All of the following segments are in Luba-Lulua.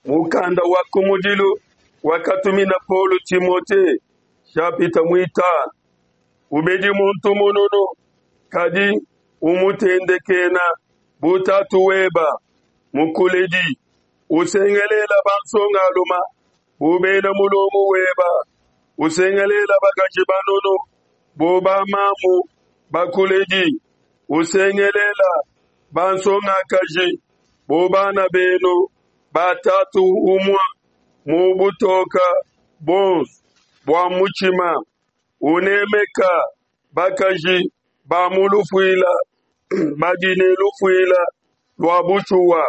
Mukanda wa kumudilu wakatumina Paulo Timote, nshapita muitanu. Ubedi muntu mununu, kadi umutendekena bu tatu weba mukuledi. Usengelela bansongaluma bu bena mulongo weba. Usengelela bakaji banunu bu bamamu bakuledi. Usengelela bansongakaji bu bana benu ba tatu umua mu butoka buonso bua mutshima. Unemeka bakaji ba mu lufuila badi ne lufuila lua bushuwa.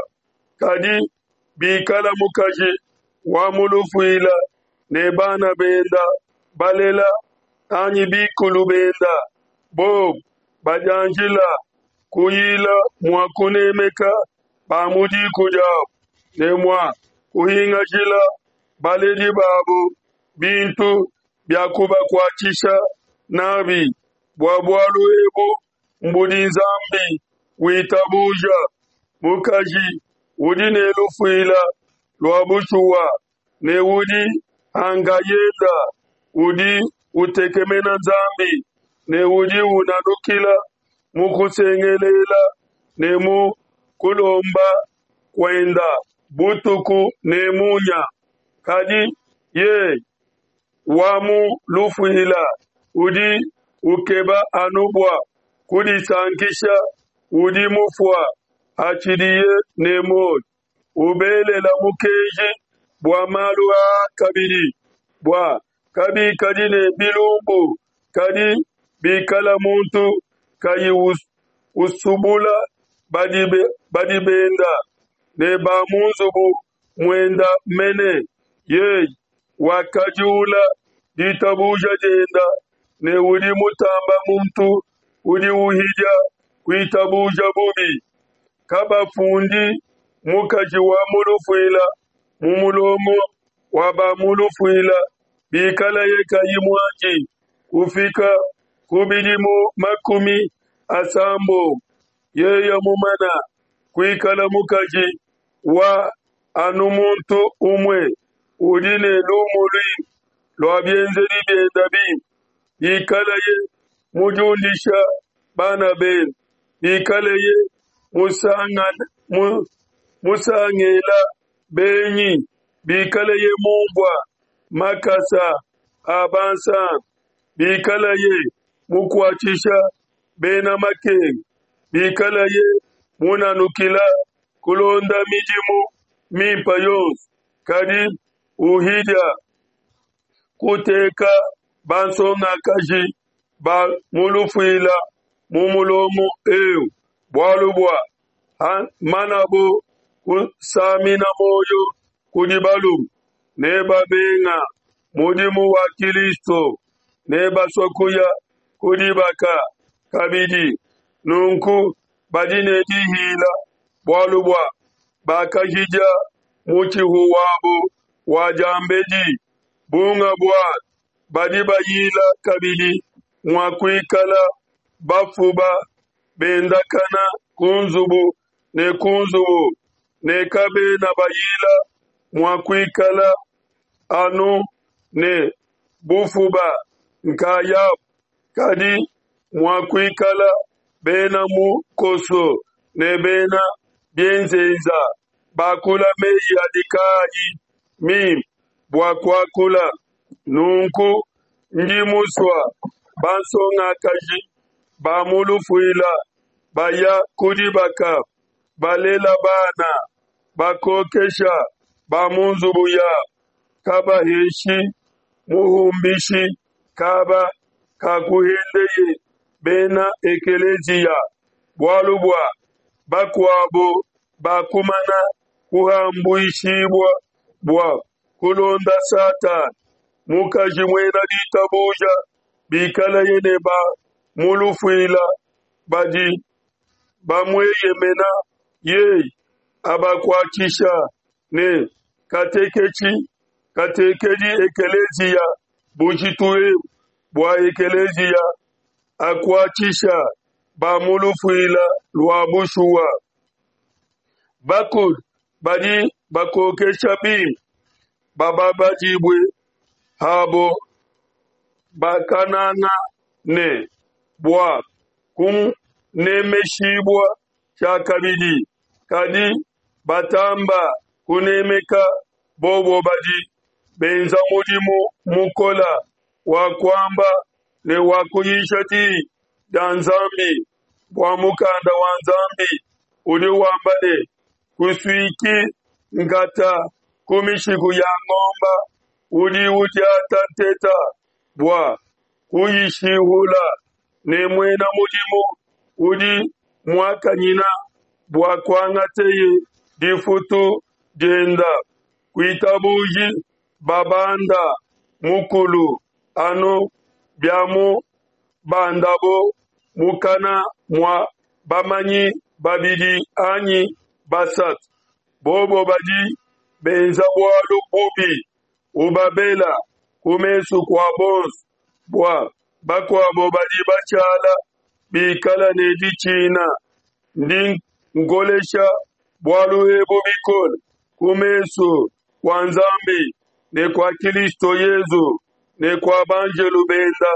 Kadi bikala mukaji wa mu lufuila ne bana benda balela anyi bikulu benda, bobu badianjila kuyila mua kunemeka ba mu diku diabu ne mua kuhingajila baledi babu bintu bia kubakuatshisha nabi, bua bualu ebu mbudi Nzambi witabuja. Mukaji udi ne lufuila lua bushuwa ne udi ankayenda, udi utekemena Nzambi ne udi unanukila mu kusengelela ne mu kulomba kuenda butuku ne munya. Kadi yeye wa mu lufuila udi ukeba anu bua kudisankisha, udi mufua hatshidiye ne muoyo. Ubelela mukenji bua malu aa kabidi, bua kabikadi ne bilumbu, kadi bikala muntu kayi usubula badi benda ne ba mu nzubu muenda mene, yeye wakajula ditabuja dienda ne udi mutamba muntu udi uhidia kuitabuja bubi. Kabafundi mukaji wa mu lufuila mu mulongo wa ba mu lufuila bikalaye kayi muanji kufika ku bidimu 80, yeye mumana kuikala mukaji wa anu muntu umue udi ne lumu luimpe lua bienzedi bienda bimpe, bikalaye mudiundisha bana bende, bikaleye musangela benyi, bikaleye mumvua makasa a bansantu, bikaleye mukuatshisha bena makenga, bikaleye munanukila kulonda midimu mimpe yonso, kadi uhidia kuteka bansongakaji ba mu lufuila mu mulongo eu, bualu bua manabo kusamina muoyo kudi balume ne babenga mudimu wa Kilisto ne basua kuya ku dibaka kabidi. Nunku badi ne dihila bualu bua bakahidia mutshihu wabo wa diambedi. Bunga bua badi bayila kabidi mua kuikala bafuba bendakana ku nzubu ne ku nzubu, ne kabena bayila mua kuikala anu ne bufuba nkayabu, kadi mua kuikala bena mukoso ne bena bienzenza, bakula meyi adi kaayi mimpe bua kuakula. Nunku ndi musua bansongakaji ba mu lufuila baya ku dibaka, balela bana, bakokesha ba mu nzubu yabu, kabaheshi muhumbishi kaba kakuhendeye bena ekeleziya, bualu bua bakuabo bakumana kuhambuishibua bua kulonda Satana. Mukaji muena ditabuja bikalaye ne ba mu lufuila badi bamueyemena, yeye abakuatshisha ne kateketshi katekedi ekeleziya bujitu ebu bua ekeleziya akuatshisha ba mu lufuila lua bushuwa. Bakulu. Badi bakokesha bimpe bababadibue abo bakananga ne bua kunemeshibua tshiakabidi, kadi batamba kunemeka bobo badi benza mudimu mukola wa kuamba ne wa kuyisha diyi dia Nzambi. Bua mukanda wa Nzambi udi wamba ne, Kusuiki nkata ku mishiku ya ngomba udi udiata nteta bua kuyishihula, ne muena mudimu udi muakanyina bua kuangateye difutu dienda. Kuitabuji babanda mukulu anu biamubandabo mukana mua bamanyi babidi anyi basatu. Bobo badi benza bualu bubi, ubabela ku mesu kua bonso, bua bakuabo badi bashala bikala ne ditshina. Ndi nkolesha bualu ebu bikole ku mesu kua Nzambi ne kua Kilisto Yezu ne kua banjelu benda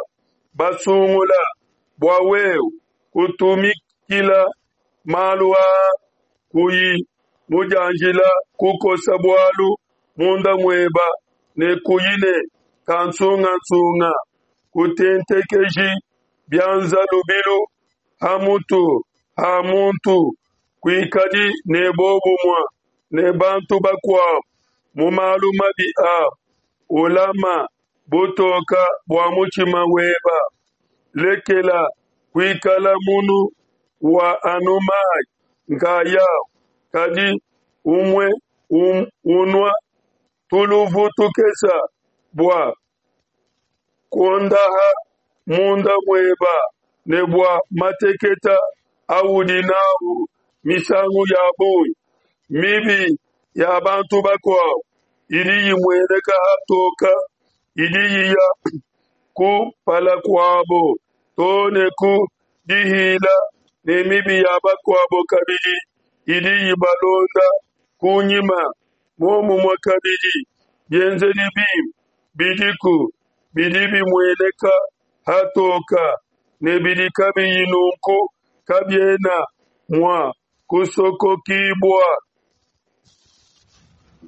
basungula, bua wewe kutumikila malu aa kuyi mudianjila kukosa bualu munda mueba ne kuyi ne kansungansunga. Kutentekeji bianza lubilu ha mutu ha muntu, kuikadi ne bobumue ne bantu bakuabo mu malu mabi abo. Ulama butoka bua mutshima weba. Lekela kuikala munu wa anu mayi nkayawu, kadi umue unua tuluvu tukesa bua kuondaha munda mueba ne bua mateketa audi nawu misangu ya bungi. Mibi ya bantu bakuabo idi imueneka hatoka, idi iya kumpala kuabo too ne ku dihila, ne mibi ya bakuabo kabidi idi ibalonda kunyima. Muomumue kabidi, bienzedi bimpe bidiku bidi bimueneka hatoka, ne bidi kabiyi nunku kabiena mua kusokokibua.